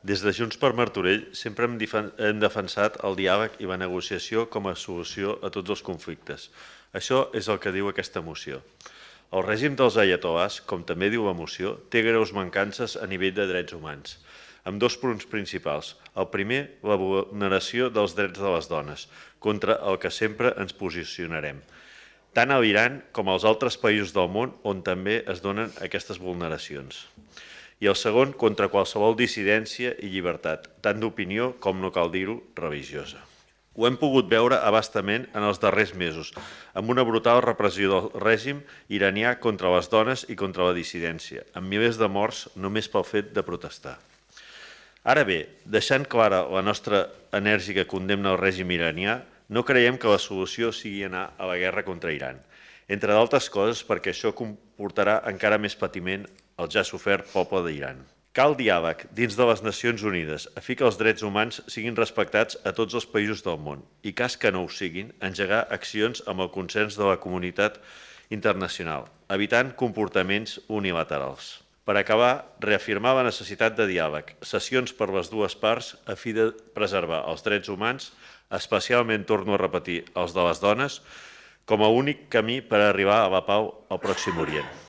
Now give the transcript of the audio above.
Des de Junts per Martorell sempre hem defensat el diàleg i la negociació com a solució a tots els conflictes. Això és el que diu aquesta moció. El règim dels aiatolars, com també diu la moció, té greus mancances a nivell de drets humans, amb dos punts principals. El primer, la vulneració dels drets de les dones, contra el que sempre ens posicionarem, tant a l'Iran com als altres països del món on també es donen aquestes vulneracions. I el segon, contra qualsevol dissidència i llibertat, tant d'opinió com, no cal dir-ho, religiosa. Ho hem pogut veure abastament en els darrers mesos, amb una brutal repressió del règim iranià contra les dones i contra la dissidència, amb milers de morts només pel fet de protestar. Ara bé, deixant clara la nostra enèrgica condemna al règim iranià, no creiem que la solució sigui anar a la guerra contra Iran, entre d'altres coses perquè això comportarà encara més patiment al ja sofert poble d'Iran. Cal diàleg dins de les Nacions Unides a fi que els drets humans siguin respectats a tots els països del món i, cas que no ho siguin, engegar accions amb el consens de la comunitat internacional, evitant comportaments unilaterals. Per acabar, reafirmar la necessitat de diàleg, sessions per les dues parts a fi de preservar els drets humans, especialment, torno a repetir, els de les dones, com a únic camí per arribar a la pau al Pròxim Orient.